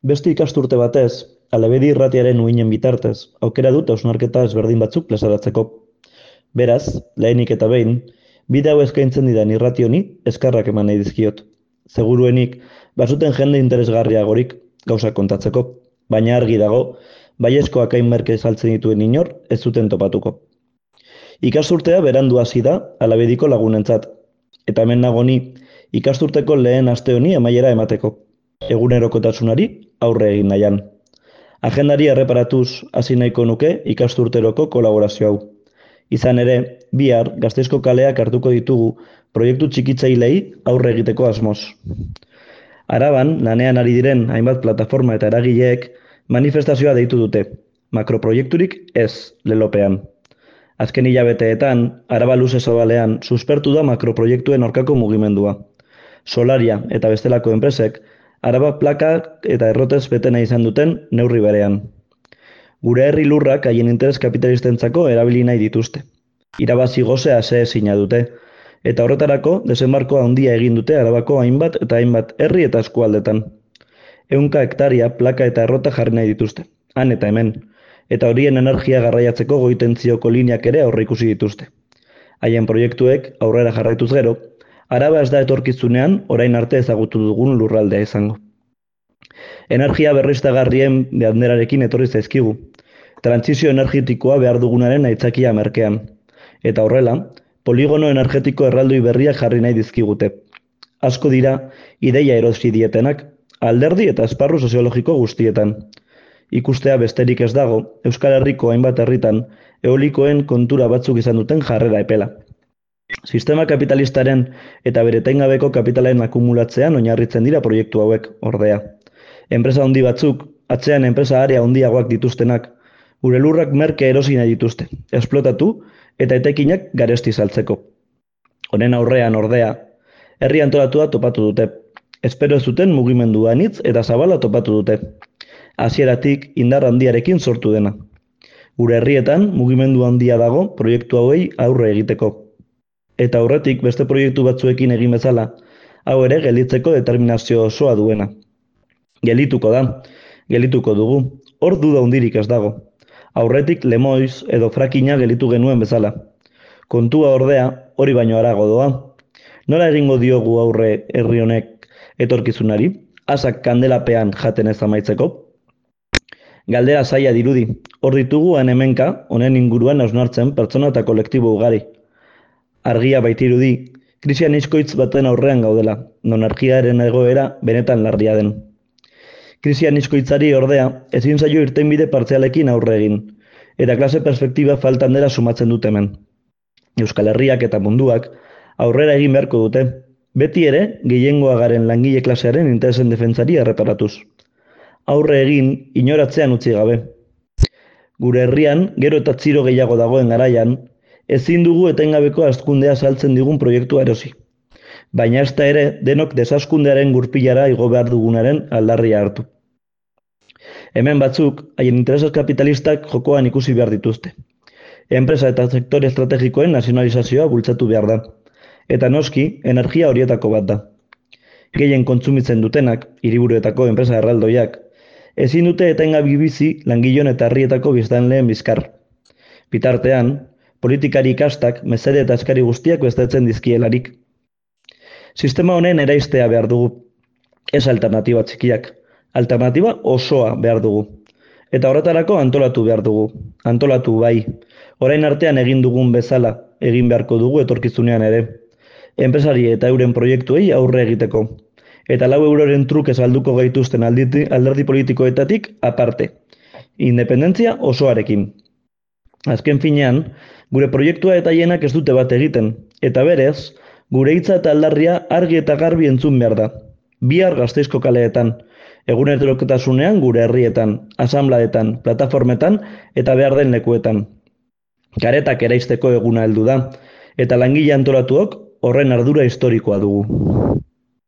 Beste ikasturte batez, Alabedi irratiaren uinen bitartez, aukera dut hausnarketa ezberdin batzuk plazaratzeko. Beraz, lehenik eta behin, bide hau eskaintzen didan irrati honi eskarrak eman nahi dizkiot. Seguruenik, bazuten jende interesgarriagorik gauzak kontatzeko, baina argi dago, baiezkoak hain merke saltzen dituen inor ez zuten topatuko. Ikasturtea berandu hasi da Alabediko lagunentzat, eta hemen nago ni ikasturteko lehen aste honi amaiera emateko. Egunerokotasunari aurre egin nahian. Agendari erreparatuz hasi nahiko nuke ikasturteroko kolaborazio hau. Izan ere, bihar Gasteizko kaleak hartuko ditugu proiektu txikitzailei aurre egiteko asmoz. Araban, lanean ari diren hainbat plataforma eta eragileek manifestazioa deitu dute. Makroproiekturik ez lelopean. Azken hilabeteetan, Araba luze zabalean suspertu da makroproiektuen aurkako mugimendua. Solaria eta bestelako enpresek Araba plakak eta errotez betena izan duten neurri berean. Gure herri lurrak haien interes kapitalistentzako erabili nahi dituzte. Irabazi gozea ezina dute, eta horretarako desembarko handia egin dute Arabako hainbat eta hainbat herri eta eskualdetan. 100 hektaria plaka eta errota jarri nahi dituzte, han eta hemen, eta horien energia garraiatzeko goitentzioko lineak ere aurreikusi dituzte. Haien proiektuek aurrera jarraituz gero, Araba ez da etorkizunean orain arte ezagutu dugun lurraldea izango. Energia berriztagarrien banderarekin etorri zaizkigu. Trantsizio energetikoa behar dugunaren aitzakia merkean. Eta horrela, poligono energetiko erraldoi berriak jarri nahi dizkigute. Asko dira, ideia erosi dietenak, alderdi eta esparru soziologiko guztietan. Ikustea besterik ez dago, Euskal Herriko hainbat herritan, eolikoen kontura batzuk izan duten jarrera epela. Sistema kapitalistaren eta bere etengabeko kapitalen akumulatzean oinarritzen dira proiektu hauek, ordea. Enpresa handi batzuk, atzean enpresa area handiagoak dituztenak, gure lurrak merke erosi nahi dituzte, esplotatu eta etekinak garesti saltzeko. Honen aurrean, ordea, herri antolatua topatu dute. Espero ez zuten mugimendu anitz eta zabala topatu dute. Hasieratik indar handiarekin sortu dena. Gure herrietan mugimendu handia dago proiektu hauei aurre egiteko. Eta aurretik beste proiektu batzuekin egin bezala, hau ere gelditzeko determinazio osoa duena. Gelituko da, gelituko dugu, hor duda hundirik ez dago. Aurretik lemoiz edo frakina gelitu genuen bezala. Kontua ordea hori baino harago doa. Nola egingo diogu aurre herri honek etorkizunari, asak kandelapean jaten ez amaitzeko? Galdera zaila dirudi, hor ditugu hemenka, honen inguruan hausnartzen pertsona eta kolektibo ugari. Argia baitirudi, krisian izkoitz baten aurrean gaudela, non argiaren egoera benetan larria den. Krisian izkoitzari ordea, ezin zaio irtenbide partzialekin aurre egin, eta klase perspektiba faltan dela sumatzen dut hemen. Euskal Herriak eta munduak aurrera egin beharko dute, beti ere gehiengoa garen langile klasearen interesen defentsari erreparatuz. Aurre egin inoratzean utzi gabe. Gure herrian, gero eta txiro gehiago dagoen garaian, ezin dugu etengabeko hazkundea saltzen digun proiektua erosi. Baina ez da ere denok desazkundearen gurpilara igo behar dugunaren aldarria hartu. Hemen batzuk, haien intereses kapitalistak jokoan ikusi behar dituzte. Enpresa eta sektore estrategikoen nazionalizazioa bultzatu behar da. Eta noski, energia horietako bat da. Gehien kontsumitzen dutenak, hiriburuetako enpresa erraldoiak, ezin dute etengabe bizi langilon eta herrietako biztanleen bizkar. Bitartean, politikari ikastak, mesede eta eskari guztiak bestetzen dizkielarik. Sistema honen eraistea behar dugu, ez alternatiba txikiak, alternatiba osoa behar dugu. Eta horretarako antolatu behar dugu, antolatu bai, orain artean egin dugun bezala egin beharko dugu etorkizunean ere. Enpresari eta euren proiektuei aurre egiteko. Eta 4 euroren truke salduko gaituzten alderdi politikoetatik aparte. Independentzia osoarekin. Azken finean, gure proiektua eta hienak ez dute bat egiten, eta berez, gure hitza eta aldarria argi eta garbi entzun behar da. Bihar Gasteizko kaleetan, egunerokotasunean gure herrietan, asanbladetan, plataformetan eta behar den lekuetan. Karetak eraisteko eguna heldu da, eta langile antolatuok horren ardura historikoa dugu.